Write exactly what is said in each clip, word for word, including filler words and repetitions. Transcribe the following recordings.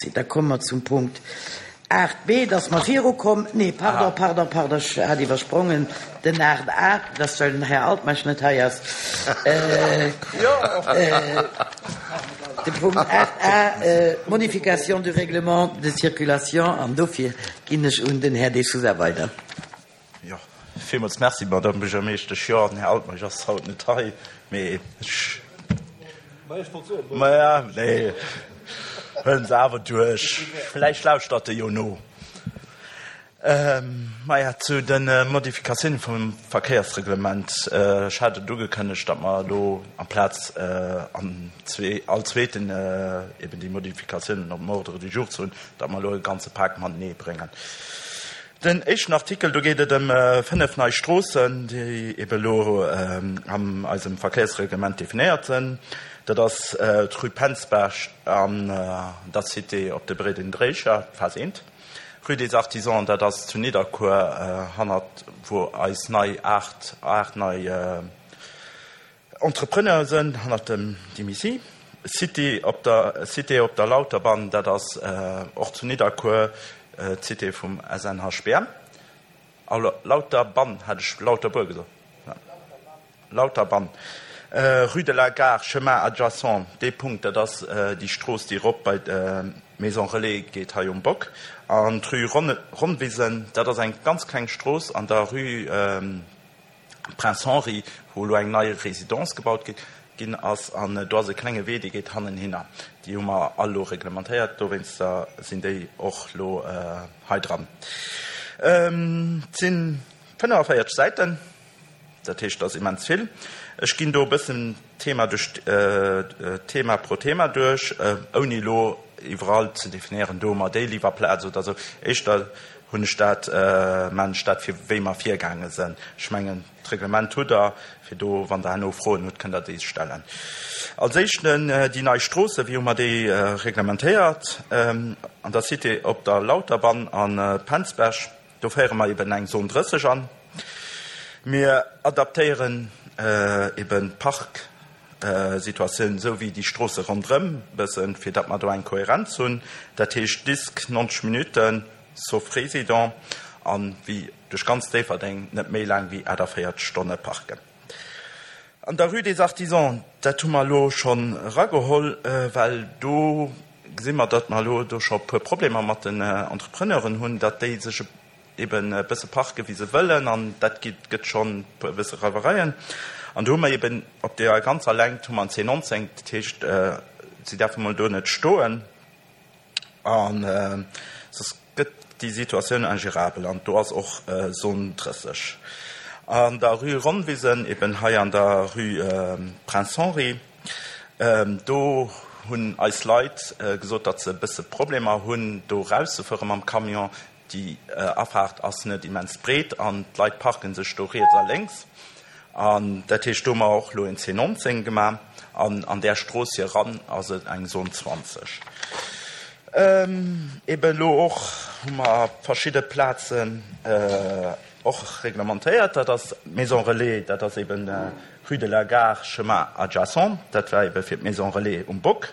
Da komme mer zum Punkt aacht B, dass mer virukommen. Nee, pardon, pardon, pardon, ech hat iwwersprongen den aacht A, dass well den Här Altmeisch net hei ass. De Punkt aacht A, Modification du règlement de circulation, an dofir ginn ech un den Här De Sousa weider. Jo, villmools Merci, Madame Buergermeeschtesch. Jo, den Här Altmeisch ass haut net hei, mee ech. Maja, nee, huelen se awer duerch. Vläicht lauschtert e jo no. Maja, zu de Modifikatioune vum Verkéiersreglement. Ech hat et ugekënnegt, datt mer elo amplaz an zwee, all zweeten eben déi Modifikatiounen op dem Ordre du jour ze hunn, datt mer elo e ganze Pak matenee bréngen. Den éischten Artikel, do geet et ëm fënnef nei Stroossen, déi ebe elo an eisem Verkéiersreglement definéiert sinn. Dat ass d'Rue Penzberg an der Cité op de Bréden-Dréicher, Phas eent. Rue des Artisans, dat ass zu Nidderkuer, hannert wou eis nei aacht, aacht nei Entrepreneure sinn, hannert dem Dimici. Cité op der, Cité op der Lauterbann, dat ass och zu Nidderkuer, D'Cité vum S N H B M. Lauterbann, hat ech Lauterbuer gesot? Lauterbann. Rue de la Gare, chemin adjacent, dee Punkt, dat ass déi Strooss, déi erop bei d'Maison Relais geet hei um Bock. An d'Rue Ronnwisen, dat ass eng ganz kleng Strooss an der Rue Prince Henri, wou elo eng nei Residence gebaut gëtt ginn ass, an do ass e klenge Wee, dee geet hannenhinner. Déi hu mer all elo reglementéiert, dowéinster sinn déi och elo hei dran. Et si fënnefaféierzeg Säiten, dat heescht, dat ass immens vill. Ech ginn do e bëssen Thema duerch Thema pro Thema duerch, ouni elo iwwerall ze definéieren, do hu mer déi Liwwerplaz oder esou. Éischter hunn ech dat, maachen ech dat, fir wéi mer virgaange sinn. Ech mengen, d'Reglement hutt Der, fir do, wann Der herno Froen hutt, kënnt Der déi stellen. Als éischten déi nei Stroosse, wéi hu mer déi reglementéiert? An der Cité op der Lauterbann a Penzberg, do féiere mer eben eng Zone drësseg an. Mir adaptéieren eben d'Parksituatioun esou wéi déi Stroosse ronderëm bëssen, fir datt mer do eng Kohärenz hunn. Dat heescht Disque neunzeg Minuten, sauf Résident, an wéi duerch ganz Déifferdeng net méi laang wéi aachtavéierzeg Stonne parken. An der Rue des Artisans, dat hu mer elo schonn erageholl, well do gesi mer, datt mer elo do scho e puer Problemer mat den Entrepreneuren hunn, datt déi sech eben e bësse parke wéi se wëllen, an dat gëtt schonn e bësse Reiwereien. An do hu mer eben op deeër ganzer Längt hu mer en C neunzéng, dat heescht, si däerfe mol do net stoen, an soss gëtt déi Situatioun ingérabel, an do ass och Zone drësseg. An der Rue Ronnwisen, eben hei an der Rue Prince Henri, do hunn eis Leit gesot, datt se e bësse Problemer hunn, do erauszefuere mam Camion. Déi Afaart ass net immens breet an d'Leit parke sech do riets a lénks. An dat heescht, do hu mer och elo en C neunzéng gemaach an an där Strooss hier eran ass et eng Zone zwanzeg. Eben elo och hu mer verschidde Plazen och reglementéiert. Dat ass d'Maison Relais, dat ass eben Rue de la Gare, chemin adjacent. Dat war ebe fir d'Maison Relais um Bock.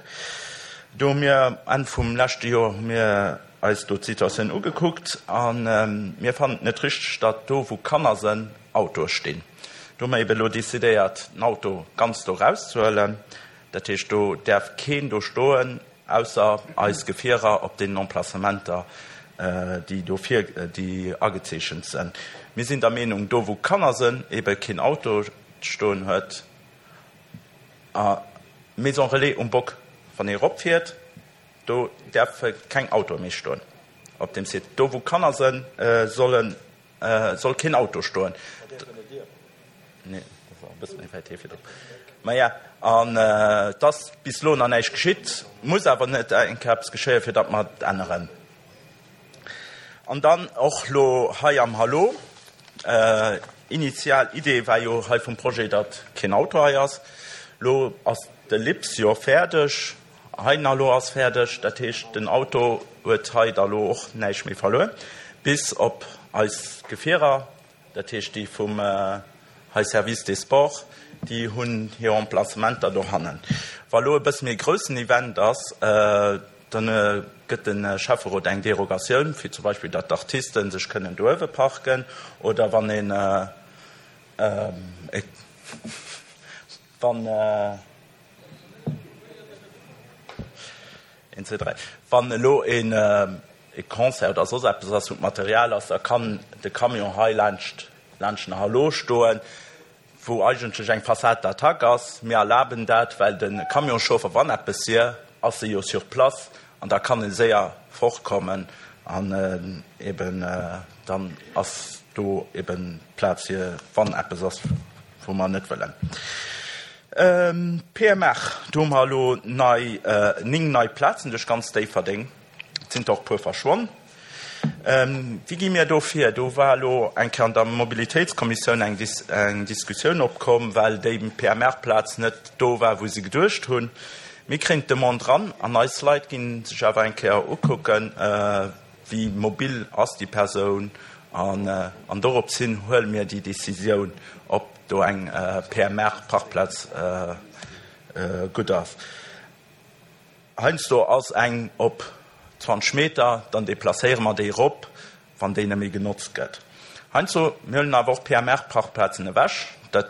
Do hu mir Enn vum leschte Joer hu mir eis do d'Situatioun ugekuckt a mir fannen et net richteg, datt do, wou Kanner sënn, Autoe stinn. Do hu mer ebe elo decidéiert, den Auto ganz do erauszehuelen. Dat heescht, do däerf keen do stoen, ausser eis Gefierer op deenen Emplacementer, déi do vir, déi agezeechent sënn. Mir sinn der Meenung, do wou Kanner sënn, ebe keen Auto stoen huet. A Maison Relais um Bock, wann ee eropfiert, do däerfe keng Autoe méi stoen op deem Site. Do wou Kanner sënn, sollen, soll keen Auto stoen. Nee, dat war e bësse méi wäit hier virdrun. Maja, an et ass bis elo nach näischt geschitt, muss awer net eng Kéier eppes geschéien, fir datt mer et änneren. An dann och elo hei am Hallo, initial Idee war jo hei vum Projet, datt keen Auto hei ass. Elo ass de Lips jo fäerdeg, hei den Hallo ass fäerdeg, dat heescht, den Auto huet hei da lo och näischt méi verluer, bis op eis Gefierer, dat heescht déi vum hei Service des Sports, déi hunn hir Emplacementer dohannen. Wa lo e bësse méi groussen Event ass, Dann gëtt de Schäfferot eng Derogatioun, fir zum Beispill, datt d'Artisten sech kënnen do uewe parken oder wann een, wann, een, zwee, dräi, wann elo een e Concert oder soss eppes ass, wou d'Material ass, da kann de Camion hei laanscht, laanscht den Hallo stoen, wou eigentlech eng Façade d'attaque ass. Mir erlaben dat, well de Camionschauffer, wann eppes wier, ass e jo sur place an da kann e séier fortkommen an eben dann ass do eben Plaz fir wann eppes ass, wou mer net wëllen. P M R, do hu mer elo nei, néng nei Plazen duerch ganz Déifferdeng. Et sinn der och e puer verschwonn. Wéi gi mir do vir? Do war elo eng Kéier an der Mobilitéitskommissioun eng eng Diskussioun opkomm, well déi P M R-Plaz net do war, wou se geduecht hunn. Mir kréien d'Demande ran an eis Leit gi sech awer eng Kéier ukucken, wéi mobil ass déi Persoun an an dorops hin huele mir déi Decisioun, ob do eng P M R-Parkplaz gutt ass. Heiansdo ass eng op zwanzeg Meter, dann deplacéiere mer déi erop, wann déi net méi genotzt gëtt. Heiansdo, mir huelen awer och P M R-Parkplazen ewech, dat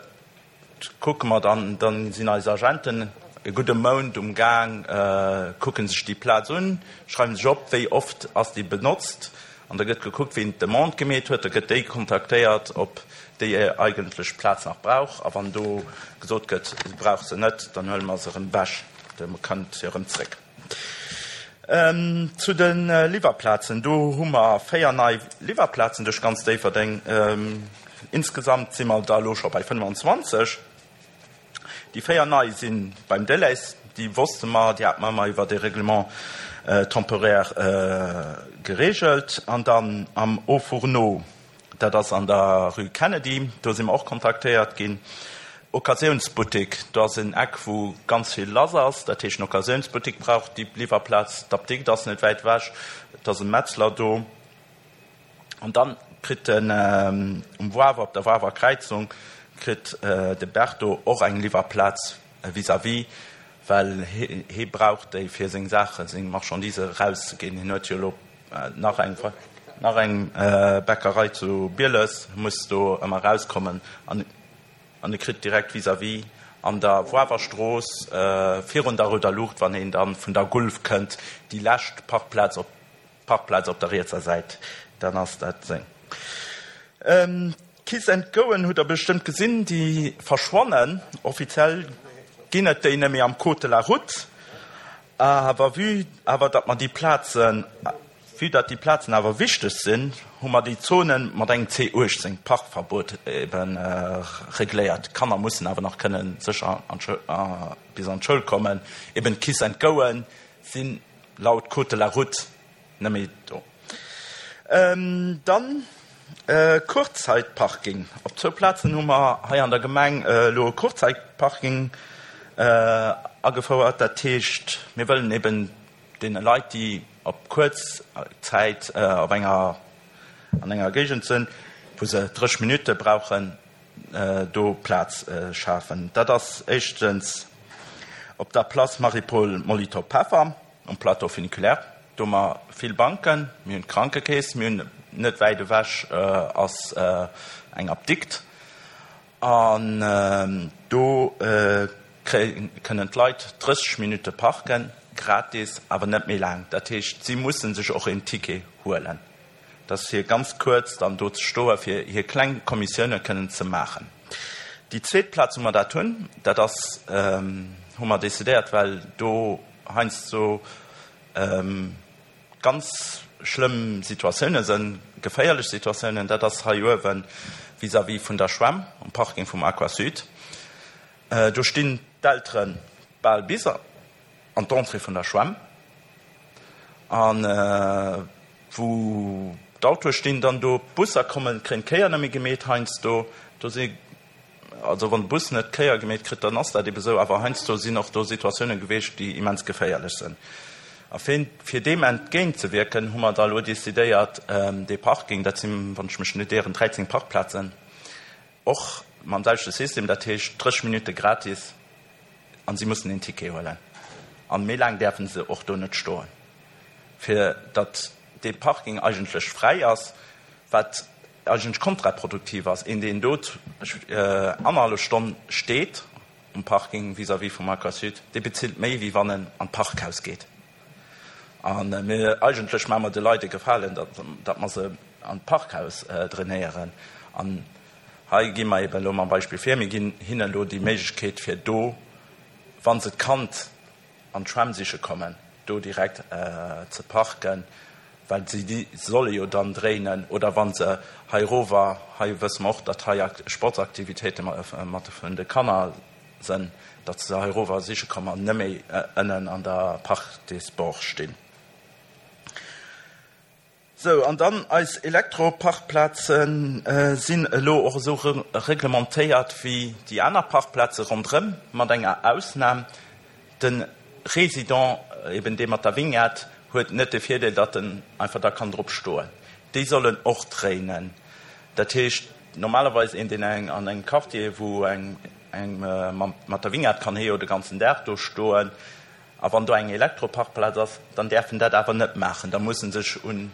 kucke mer dann, dann sinn eis Agenten e gudde Mount um Gaang, kucke sech déi Plaz un, schreiwe sech op, wéi oft ass déi benotzt, an da gëtt gekuckt, wien d'Demande gemeet huet, da gëtt déi kontaktéiert, ob déi eigentlech d'Plaz nach brauch, a wann do gesot gëtt, se brauch se net, dann huele mer se erëm ewech, da kënnt se erëm zréck. Zu de Liwwerplazen, do hu mer véier nei Liwwerplazen duerch ganz Déifferdeng. Insgesamt si mer da elo scho bei fënnefanzwanzeg. Déi véier nei si beim Delhaize, déi wosste mer, déi hate mer ëmmer iwwert e Règlement temporaire geregelt. An dann am Haut Fourneau, dat ass an der Rue Kennedy, do si mer och kontaktéiert ginn. Occasiounsbuttek, do ass en Eck, wou ganz vill lass ass. Dat heescht, en Occasiounsbuttek brauch déi Liwwerplaz. D'Apdikt ass net wäit ewech, et ass e Metzler do. An dann kritt den um Wawer, op der Wawer Kräizung, kritt de Berto och eng Liwwerplaz vis-à-vis, well hie brauch déi, fir seng Saachen, seng Marchandise erauszeginn. Hien huet jo elo nach eng, nach eng Bäckerei zu Bieles, muss do ëmmer erauskommen an an e kritt direkt vis-à-vis an der Wawerstrooss virun der rouder Luucht, wann een dann vun der Gulf kënnt, déi lescht Parkplaz op Parkplaz op der rietser Säit, dann ass dat seng. Kiss and Goen hutt der bestëmmt gesinn, déi verschwannen. Offiziell ginn et déi net méi am Code de la route, awer vue awer datt mer déi Plazen, vue datt déi Plazen awer wichteg sinn, hu mer déi Zone mat engem C uechtzéng Parkverbot eben regléiert. D'Kanner mussen awer nach kënnen sécher an bis an d'Schoul kommen. Eben d'Kiss and Goen sinn laut Code de la route net méi do. Dann Kurzzeitparking. Op zwou Plazen hu mer hei an der Gemeng elo e Kurzzeitparking agefouert. Dat heescht, mir wëllen eben deene Leit, déi op kuerz Zäit op enger, an enger Géigend sinn, wou se drësseg Minutte brauchen, do Plaz schafen. Dat ass éischtens op der Place Marie-Paule Molitor-Peffer um Plateau funiculaire. Do hu mer vill Banken, mir hunn d'Krankekeess, mir hunn net wäit ewech ass eng Apdikt an do kënnen d'Leit drësseg Minutte parken, gratis, awer net méi laang. Dat heescht, si musse sech och een Ticket huelen. Dat ass fir ganz kuerz dann do ze stoe fir hir kleng Kommissioune kënnen ze maachen. Déi zweet Plaz, wou mer dat hunn, dat ass, hu mer decidéiert, well do heiansdo ganz schlëmm Situatioune sënn, geféierlech Situatiounen, dat ass hei uewe vis-à-vis vun der Schwämm um Parking vum Aquasud. Do stinn d'Eltere bal bis an d'Entrée vun der Schwämm an wou d'Autoe stinn, dann do d'Busser kommen, kréien d'Kéier net méi gemeet heiansdo. Do si also wann de Bus net d'Kéier gemeet kritt, dann ass dat ebe sou, awer heiansdo sinn och do Situatioune gewiescht, déi immens geféierlech sinn. A fir deem entgéintzewierken, hu mer da elo decidéiert, dee Parking, dat sinn, wann ech mech net ieren, dräizéng Parkplazen, och mam selwechte System, dat heescht drësseg Minutte gratis an si mussen een Ticket huelen. An méi laang däerfe se och do net stoen. fir datt dee Parking eigentlech fräi ass, wat eigentlech kontraproduktiv ass. Een, deen do annerhallef Stonn steet um Parking vis-à-vis vum Aquasud, dee bezilt méi, wéi wann en an d'Parkhaus geet. A mir, eigentlech maache mer de Leit e Gefalen, datt, datt mer se an d'Parkhaus drainéieren. An hei gi mer eben elo mam Beispill vir, mir ginn hinnen elo déi Méiglechkeet, fir do, wa se d'Kand an d'Schwämm siche kommen, do direkt ze parken, well si déi solle jo dann dréinen, oder wa se hei erower, hei wësse mer och, datt hei Sportsaktivitéite mat vun de Kanner sënn, datt se hei erower siche kommen an net méi ënnen an der Parc des Sports stinn. Sou, an dann eis Elektroparkplaze sinn elo och esou reglementéiert wéi déi aner Parkplaze ronderëm, mat enger Ausnam, De Résident, eben dee mat der Vignette, huet net de Virdeel, datt en einfach da kann drop stoen. Déi sollen och dréinen. Dat heescht, normalerweis een, deen an engem Quartier, wou eng mat der Vignette kann hie jo de ganzen Dag do stoen, A wann do eng Elektroparkplaz ass, dann däerf en dat awer net maachen. Da muss en sech un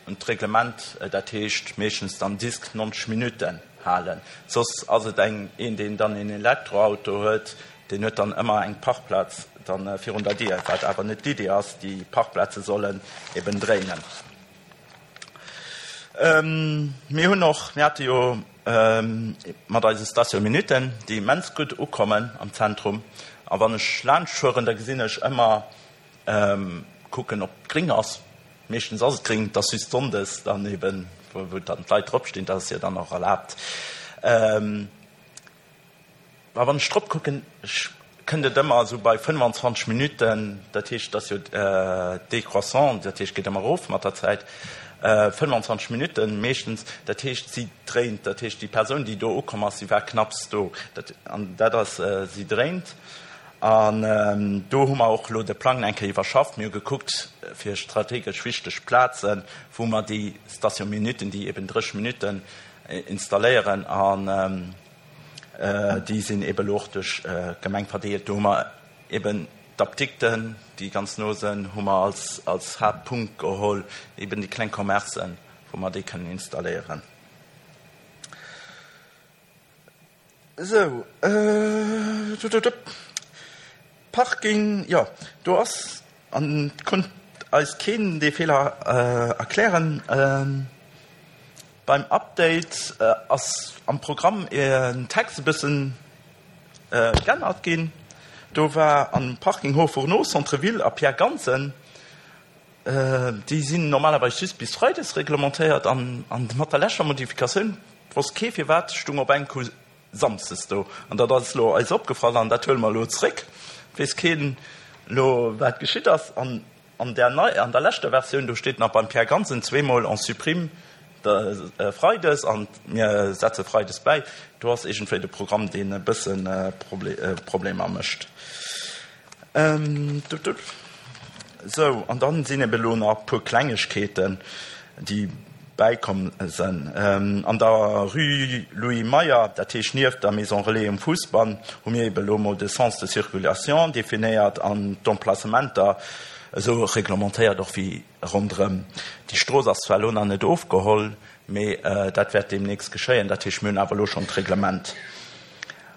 d'Reglement, dat heescht meeschtens dann Disk neunzeg Minutten, halen. Soss ass et eng, een, deen dann een Elektroauto huet, deen huet dann ëmmer eng Parkplaz dann virun der Dier, wat awer net d'Idee ass. Déi Parkplaze sollen eben dréinen. Mir hunn och, mir hate jo mat eise Station Minuten, déi immens gutt ukommen am Zentrum, a wann ech laanscht fueren, da gesinn ech ëmmer, kucken ob et gréng ass, meeschtens ass et gréng, et ass just sonndes dann eben, wou dann d'Leit drop stinn, dat ass jo dann och erlaabt. A wann ech drop kucken, kënnt et ëmmer esou bei fënnefanzwanzeg Minutten, dat heescht, et ass jo décroissant, dat heescht, et geet ëmmer erof mat der Zäit, fënnefanzwanzeg Minutten meeschtens, dat heescht, si dréint, dat heescht, déi Persoun, déi do ukomm ass, si war knapps do, dat, an dat ass, si dréint. An do hu mer och elo de Plang eng Kéier iwwerschafft. Mir hu gekuckt fir strategesch wichteg Plazen, wou mer déi Station Minuten, déi eben dréch Minutten installéieren, an déi sinn eben elo och duerch d'Gemeng verdeelt. Do hu mer eben d'Apdikten, déi ganz no sinn, hu mer als, als Haaptpunkt geholl, eben déi kleng Commercen, wou mer déi kënnen installéieren. Esou, Parking, jo, do ass, an et konnt eis keen dee Feeler erklären, Beim Update ass am Programm en Text e bëssen g'ännert ginn. Do war am Parking Haut Fourneau, Centre Ville a Pierre Gansen, déi sinn normalerweis just bis Freides reglementéiert an mat der leschter Modifikatioun, wosst kee firwat, stung op eng Coup Samsdes do. An dat ass elo eis opgefall an dat huele mer elo zréck. Weess keen elo wat geschitt ass. An An där nei, an der leschter Versioun, do steet nach beim Pierre Gansen zweemol on supprime de Freides an mir setze Freides bäi. Do ass iergendwéi de Programm, deen e bësse Problemer mécht. Sou, an dann sinn ebe lo nach e puer Klengegkeeten, déi bäikomm sënn. An der Rue Louis Meyer, dat heescht nieft der Maison Relais um Fousbann, hu mir ebe lo mol de Sens de circulation definéiert an d'Emplacementer esou reglementéiert och wéi ronderëm. Déi Strooss ass zwar elo nach net ofgeholl, mee dat wäert deemnächst geschéien. Dat heescht, mir hunn awer elo schonn d'Reglement.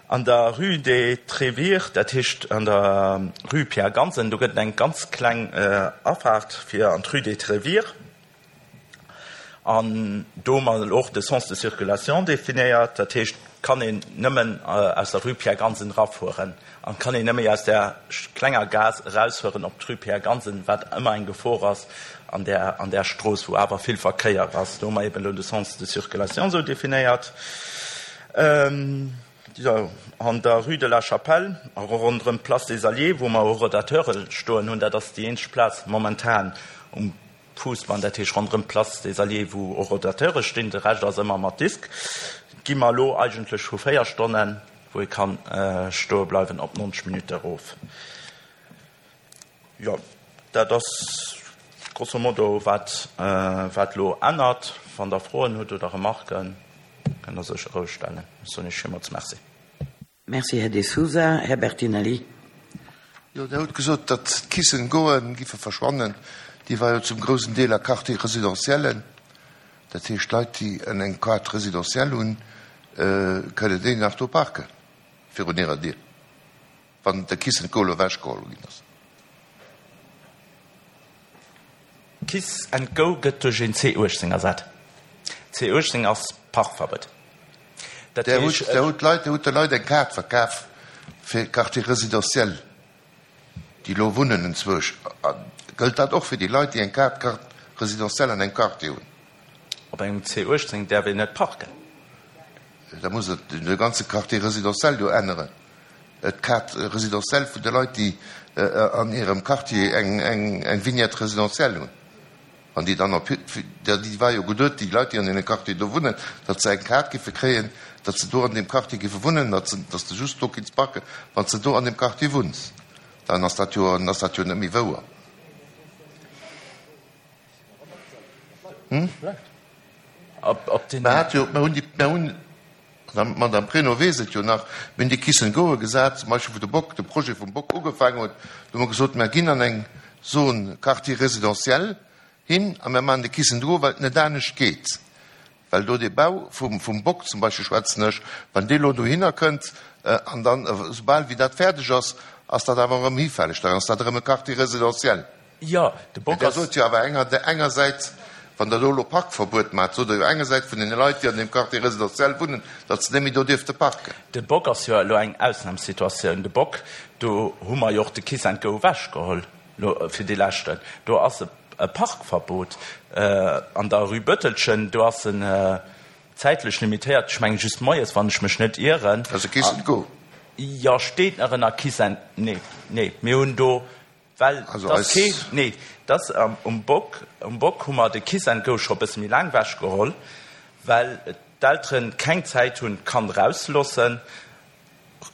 An der Rue des Trévières, dat heescht an der Rue Pierre Gansen, do gëtt et eng ganz kleng Afaart fir an d'Rue des Trévières. An do hu mer och de Sens de circulation definéiert, dat heescht, kann een nëmmen aus der Rue Pierre Gansen erafueren an kann een nëmme aus där klenger Gaass erausfueren op d'Rue Pierre Gansen, wat ëmmer eng Gefor ass an där, an där Strooss, wou awer vill Verkéier ass. Do hu mer eben elo de Sens de circulation esou definéiert. Jo, an der Rue de la Chapelle a ronderëm d'Place des Alliés, wou mer Horodateure stoen hunn, dat ass déi eenzeg Plaz momentan um Fuussbann, dat heescht ronderëm d'Place des Alliés, wou och Rodateure stinn, de Rescht ass ëmmer mat Disk, gi mer elo eigentlech vu véier Stonnen, wou ee ka stoe bleiwen, op neunzeg Minutte erof. Jo, dat ass grosso modo wat wat elo ännert. Wann Der Froen hutt oder Remarken, kënnt Der sécher roueg stellen. Ech soen Iech villmools Merci. Merci, Här De Sousa. Här Bertinelli. Jo, Der hutt gesot, datt d'Kiss and Goen giffe verschwannen. déi war jo zum groussen Deel a Quartier résidentiellen. Dat heescht, Leit, déi eng Carte résidentielle hunn, kënnen déi nach do parken virun hirer Dier, wann de Kiss and Go elo ewechgeholl ginn ass. Kiss and Go gëtt duerch een C uechtzéng ersat. C uechtzéng ass Parkverbuet. Dat Der hutt, heescht, der hutt Leit, der hutt de Leit eng Kaart verkaf fir Quartier résidentiel, déi elo wunnen enzwousch. Gëllt dat och fir déi Leit, déi eng Kaart Carte résidentielle an engem Quartier hunn? Op engem C uechtzéng däerf een net parken. Da muss et de ganze Quartier résidentiel jo änneren. D'Carte résidentielle vun de Leit, déi an hirem Quartier eng, eng, eng Vignette résidentielle hunn. Wann déi dann op, déi war jo geduet, déi Leit, déi an deene Quartier do wunnen, datt se eng Kaart géife kréien, datt se do an deem Quartier géife wunnen, datt se, datt s de just do kinns parken, wann s de do an deem Quartier wunns. Dann ass dat jo, dann ass dat jo net méi wouer. Hm? Mer hat jo, mer hunn déi, mer hunn, d'Madame Pregno weess et jo nach, mir hunn déi Kiss and Goe gesat, zum Beispill wou de Bock, de Projet vum Bock ugefaangen huet, do hu mer gesot, mer ginn an eng Zone Quartier résidentiel hin a mer maachen de Kiss and Go, well et net anescht geet, well do dee Bau vum, vum Bock zum Beispill schwätzen ech, wann dee lo dohinner kënnt an dann, esoubal wéi dat fäerdeg ass, ass dat awer erëm hifälleg, dann ass dat erëm e Quartier résidentiel. Jo, de Bock Mä Der ass. sot jo awer enger, engersäits, wann Der do elo Parkverbuet maacht, sot Der jo engersäits vun deene Leit, déi an deem Quartier résidentiel wunnen, datt se net méi do dierfte parken. De Bock ass jo elo eng Ausnamssituatioun. De Bock, do hu mer jo och de Kiss and Go ewechgeholl elo fir dee leschten. Do ass e Parkverbot an der Rue Bëttelchen, do ass en zäitlech limitéiert, ech mengen just moies, wann ech mech net ieren. Dat ass e Kiss and Go. Jo, steet nach ënner Kiss and, nee, nee, mir hunn do, well Also et ass eis. kee, nee, et ass um Bock, um Bock hu mer de Kiss and Go scho e bësse méi laang ewechgeholl, well d'Eltere keng Zäit hunn, d'Kand erauszeloossen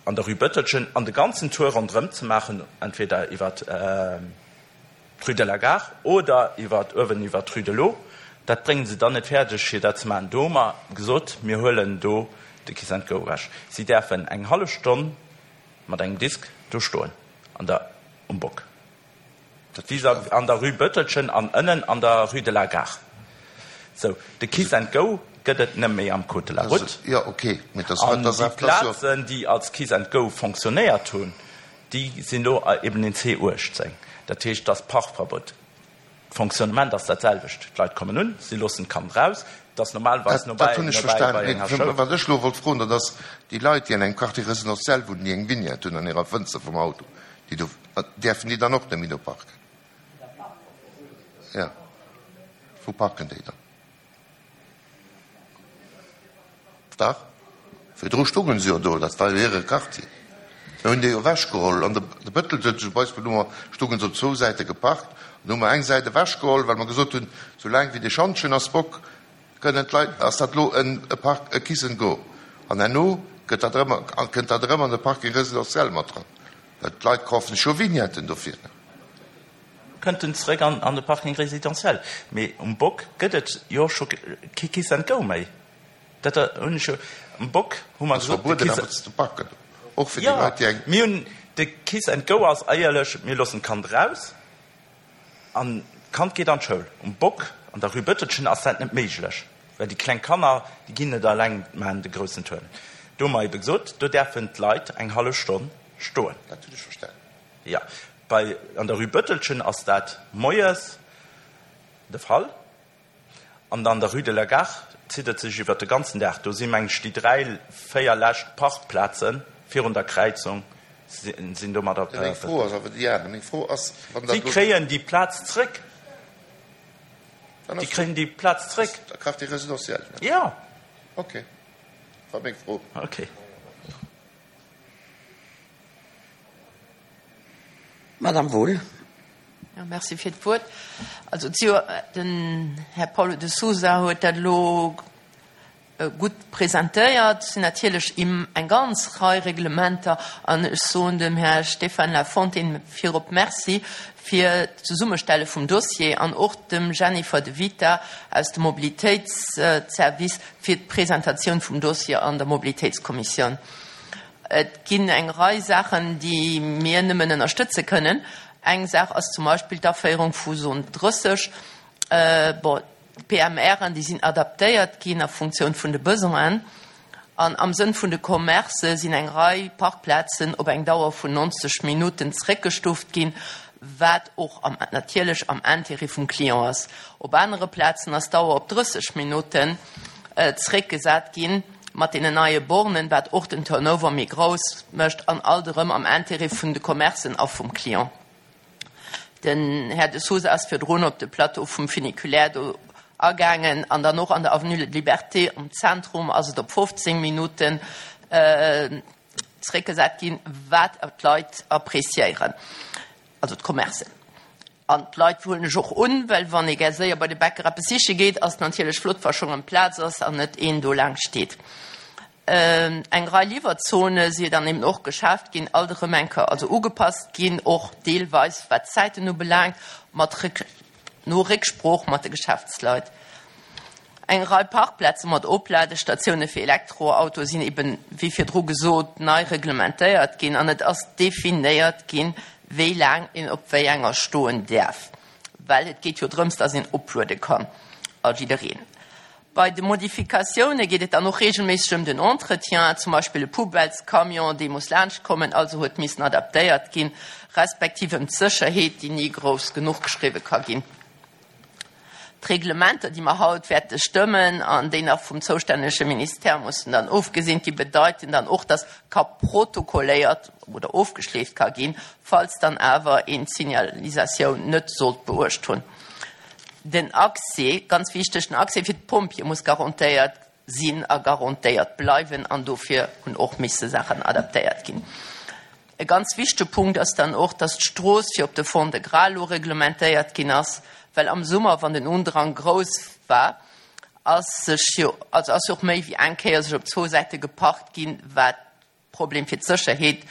an der Rue Bëttelchen an de ganzen Tour ronderëm ze maachen, entweder iwwer d'Rue de la Gare oder iwwer uewen iwwer d'Rue de l'Eau. Dat bréngen se dann net fäerdeg, fir dat ze maachen. Do hu mer gesot, mir huelen do de Kiss and Go ewech. Si däerfen eng hallef Stonn mat engem Disk do stoen an der um Bock. Vis-à-vis an der Rue Bëttelchen an ënnen an der Rue de la Gare. Sou, de Kiss and Go gëtt et net méi am Code de la Route. An déi Plazen, déi als Kiss and Go fonctionnéiert hunn, déi sinn elo eben en C uechtzéng. Dat heescht, et ass Parkverbuet. D'Fonctionnement ass dat selwecht. D'Leit kommen un, si loossen d'Kand raus. Et ass normalerweis Dat nobäi hunn ech nobäi bei verstanen. enger Schoul. Wat ech elo wollt froen, dat ass, déi Leit, déi an engem Quartier résidentiel wunnen, déi eng Vignette hunn an hirer Fënster vum Auto, déi do, däerfen déi dann och net méi do parken? Jo. Wou parken déi dann? Dach, virdru stoungen se jo do, dat war jo hire Quartier. Mir hunn déi jo ewechgeholl. An de Bëttelchen zum Beispill hu mer, stoungen se op zwou Säite geparkt. An hu mer eng Säit ewechgeholl, well mer gesot hunn, soulaang wéi dee Schantjen ass, Bock, kënnen d'Leit, ass dat elo en Park, e Kiss and Go. An herno gëtt dat erëm, kënnt dat erëm an de Parking résidentiel mat dran, well d'Leit kafen sech jo Vignetten dofir. Kënnt en zeréck an de Parking résidentiel. Mee um Bock gëtt et jo scho kee Kiss and Go méi. Dat hunn ech jo, um Bock hu mer Ass gesot, de verbueden Kiss. awer ze parken, och fir déi Jo, Leit, déi eng. mir hunn, de Kiss and Go ass eierlech, mir loossen d'Kand raus an d'Kand geet an d'Schoul. Um Bock an der Rue Bëttelchen ass dat net méiglech, well déi kleng Kanner, déi ginn net eleng, maachen de groussen Tour. Do hu mer ebe gesot, do däerfen d'Leit eng hallef Stonn stoen. Dat hunn ech verstanen. Jo, bei, an der Rue Bëttelchen ass dat moies de Fall an an der Rue de la Gare zitt et sech iwwert de ganzen Dag. Do si meng ech déi dräi, véier lescht Parkplaze virun der Kräizung sinn domadder Meng Fro ass awer déi aner. Meng Fro ass, wann dat Si elo. kréien déi Plaz zréck. Dann Déi ass kréien déi Plaz zréck. de Quartier résidentiel, ne? Jo. Okay. War meng Fro. Okay. Madame Wohl. Jo, merci fir d'Wuert. Also, et si jo, den Här Paulo de Sousa huet dat elo gutt presentéiert. Et sinn natierlech eng ganz Rei Reglementer an ech soen dem Här Stéphane Lafontaine virop Merci fir d'Zesummestelle vum Dossier an och dem Jennifer De Vita aus dem Mobilitéitsservice fir d'Presentatioun vum Dossier an der Mobilitéitskommissioun. Et ginn eng Rei Saachen, déi mir nëmmen ënnerstëtze kënnen. Eng Saach ass zum Beispill d'Aféierung vu Zone drësseg. Bon, d'PMRen, déi sinn adaptéiert ginn a Funktioun vun de Besoinen. An am Sënn vun de Commercë sinn eng Rei Parkplazen op eng Dauer vun neunzeg Minutten zréckgestuft ginn, wat och am, natierlech am Intérêt vum Client ass. Op anere Plazen ass d'Dauer op drësseg Minutten zréckgesat ginn, mat deenen neie Bornen, wat och den Turnover méi grouss mécht an alt erëm am Intérêt vun de Commercen a vum Client. Den Här De Sousa ass virdrun op de Plateau vum Funiculaire do agaangen an dann och an der Avenue de Liberté am Zentrum ass et op fofzéng Minutten zréckgesat ginn, wat d'Leit appréciéieren, also d'Commercen. An d'Leit huelen ech och un, well wann ee gär séier bei de Bäcker eppes siche geet, ass et natierlech flott, wa schonn am Plaz ass an net een do laang steet. Eng Rei Liwwerzone si dann eben och geschaaft ginn, alt erëm eng Kéier also ugepasst ginn, och deelweis wat d'Zäiten ubelaangt, mat no Récksprooch mat de Geschäftsleit. Eng Rei Parkplaze mat Opladestatiounen fir Elektroautoe sinn eben, wéi virdru gesot, nei reglementéiert ginn an et ass definéiert ginn, wéi laang een op wéi enger stoen däerf, well et geet jo drëms, dass een opluede kann a jiddereen. Bei de Modifikatioune geet et dann och reegelméisseg ëm den Entretien, zum Beispill e Poubellescamion, dee muss laanschtkommen, also huet missen adaptéiert ginn, respektiv ëm d'Sécherheet, déi ni grouss genuch geschriwwe ka ginn. D'Reglementer, déi mer haut wäerte stëmmen an déi nach vum zoustännege Ministère mussen dann ofgeseent ginn, bedeiten dann och, dass ka protokolléiert oder ofgeschleeft ka ginn, falls dann awer een d'Signalisatioun net sollt beuecht hunn. Den Accès, ganz wichteg, den Accès fir d'Pompjeeë muss garantéiert sinn a garantéiert bleiwen an dofir hunn och misse Saachen adaptéiert ginn. E ganz wichtege Punkt ass dann och, dass d'Strooss fir op de Fond-de-Gras elo reglementéiert ginn ass, well am Summer, wann den Undrang grouss war, ass sech jo, also ass jo och méi wéi eng Kéier sech op zwou Säite geparkt ginn, wat Problem fir d'Sécherheet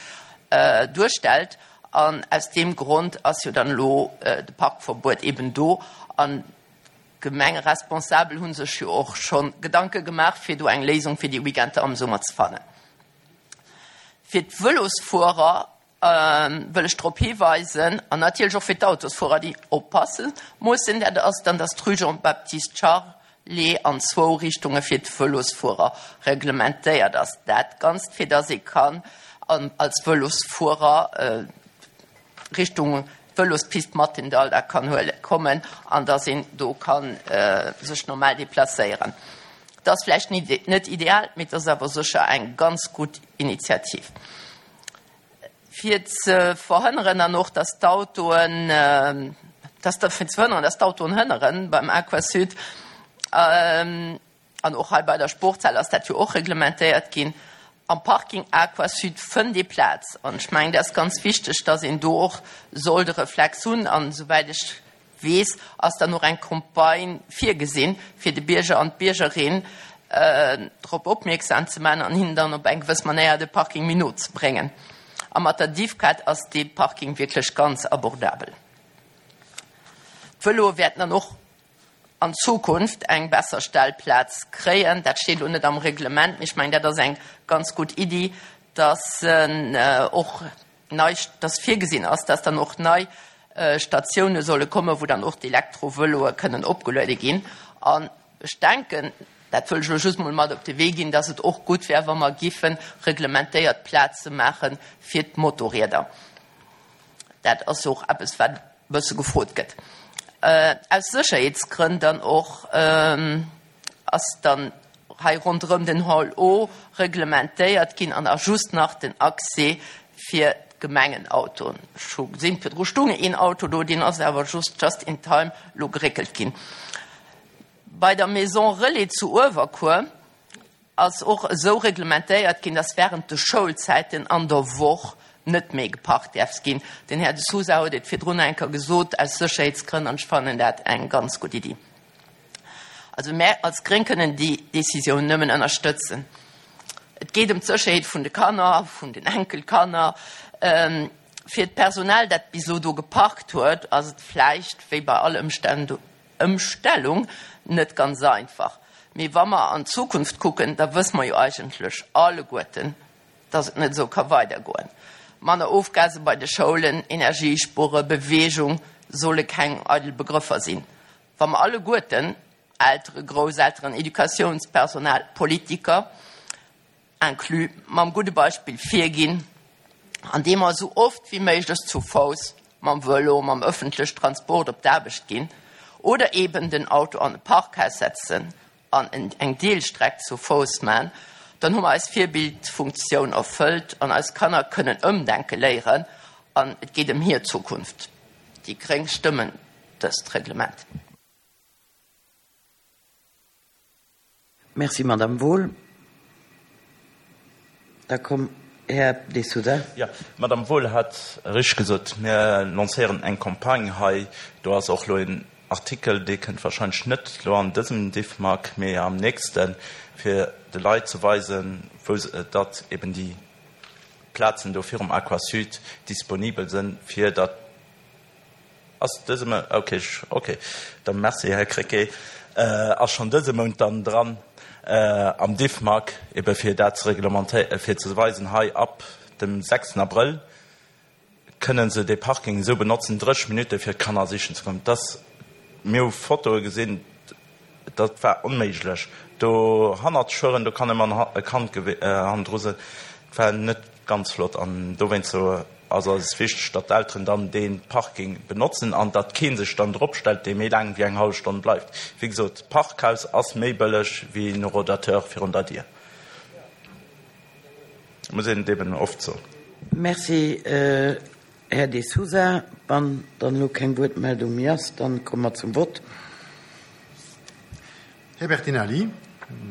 duerstellt. An aus deem Grond ass jo dann elo de Parkverbuet eben do. An d'Gemengeresponsabel hu sech jo och scho Gedanke gemaach, fir do eng Léisung fir déi Weekender am Summer ze fannen. Fir d'Vëlosfuerer wëll ech drop hiweisen, an natierlech och fir d'Autosfuerer, déi oppasse mussen, dat ass dann, dass d'Rue Jean-Baptiste Charlé an zwou Richtunge fir d'Vëlosfuerer reglementéiert ass. Dat Ganzt, fir dass ee kann als Vëlosfuerer Richtung Vëlospist Mathendahl da kann huele kommen an dass een do ka sech normal deplacéieren. Dat ass vläicht net ideal, mee et ass awer sécher eng ganz gutt Initiativ. Fir ze verhënneren dann och, dass d'Autoen, dass, fir ze verhënneren, dass d'Autoen hënneren beim Aquasud, an och hei bei der Sportshal ass dat jo och reglementéiert ginn, am Parking Aquasud fënnt ee Plaz. An ech mengen, dat ass ganz wichteg, dass een do och soll de Reflex hunn. An esouwäit ech weess, ass dann och eng Campagne virgesinn, fir de Bierger an d'Biergerin drop opmierksam ze maachen an hinnen dann op eng gewëss Manéier de Parking méi no ze bréngen. A mat der Diffcat ass dee Parking wierklech ganz abordabel. D'Vëloe wäerten dann och an Zukunft eng besser Stellplaz kréien. Dat steet elo net am Reglement, mee ech mengen, dat ass eng ganz gutt Iddi, dass och nei, dass virgesinn ass, dass dann och nei Statioune solle kommen, wou dann och d'Elektrovëloe kënnen opgeluede ginn. An ech denken, dat wëll ech elo just mol mat op de Wee ginn, dass et och gutt wär, wa mer giffe reglementéiert Plaze maache fir d'Motorrieder. Dat ass jo och eppes, wat e bësse gefrot gëtt. Aus Sécherheetsgrënn dann och ass dann hei ronderëm den Hall O reglementéiert ginn an ass just nach den Accès fir d'Gemengenautoen. Ech hu gesinn, virdru stung een Auto do, deen ass awer just just in time lo geréckelt ginn. Bei der Maison Relais zu Uewerkuer ass och esou reglementéiert ginn, dass während de Schoulzäiten an der Woch net méi geparkt däerf ginn. Den Här De Sousa huet et virdrun eng Kéier gesot, aus Sécherheetsgrënn, an ech fannen dat eng ganz gutt Iddi. Also mär als Gréng kënnen déi Décisioun nëmmen ënnerstëtzen. Et geet ëm d'Sécherheet vun de Kanner, vun den Enkelkanner. Fir d'Personal, dat bis elo do geparkt huet, ass et vläicht, wéi bei all Ëmstellung, net ganz einfach. Mee wa mer an d'Zukunft kucken, da wësse mer jo eigentlech alleguerten, dass et net esou ka weidergoen. Manner Ofgase bei de Schoulen, Energiespuere, Beweegung solle keng eidel Begrëffer sinn. Wa mer alleguerten, Eltere, Grousselteren, Educatiounspersonal, Politiker inclus, mam gudde Beispill virginn, andeem mer esou oft wéi méiglech zu Fouss, mam Vëlo, mam ëffentlech Transport op d'Aarbecht ginn oder eeben den Auto an e Parkhaus setzen an eng Deelstreck zu Fouss man, dann hu mer eis Virbildfunktioun erfëllt an eis Kanner kënnen ëmdenke léieren an et geet ëm hir Zukunft. Déi gréng stëmmen dëst Reglement. Merci, Madame Wohl. Da komm, Här De Sousa. Jo, d'Madame Wohl hat richteg gesot, mir lancéieren eng Campagne hei. Do ass och elo een Artikel, dee kënnt wahrscheinlech net elo an dësem Diffmag, mee am nächsten, fir de Leit ze weisen, wou se, datt eben déi Plazen do virum Aquasud disponibel sinn, fir datt Ass dëse Mount, ok, ok, da merci, Här Krecké, ass schonn dëse Mount dann dran am Diffmag, ebe fir dat ze reglementéieren, fir ze weisen, hei ab dem sechsten Abrëll kënnen se dee Parking esou benotzen, dréisseg Minutte fir d'Kanner sichen ze kommen. Dass, mir hu Fotoe gesinn, dat war onméiglech, do hannert schueren, do kann ëmmer e Kand hannendru sinn, dat war net ganz flott an dowéinst ass eis wichteg, datt d'Elteren dann dee Parking benotzen an datt kee sech dann drop stellt, dee méi laang wéi eng hallef Stonn bleift. Wéi gesot, d'Parkhaus ass méi bëlleg wéi en Horodateur virun der Dier. Muss een et eben oft soen. Merci, Här De Sousa. Wann dann elo keng Wuertmeldung méi ass, dann komme mer zum Vott. Här Bertinelli,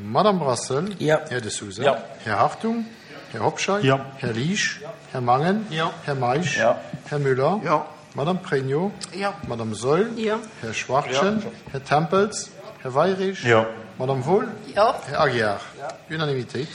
Madame Brassel, Jo. Här De Sousa, Jo. Här Hartung, Här Hobscheit, Jo. Här Liesch, Här Mangen, Jo. Här Meisch, Jo. Här Müller, Jo. Madame Pregno, Jo. Madame Saeul, Jo. Här Schwachtgen, Här Tempels, Här Weirich, Jo. Madame Wohl, Jo. Här Aguiar. Unanimitéit.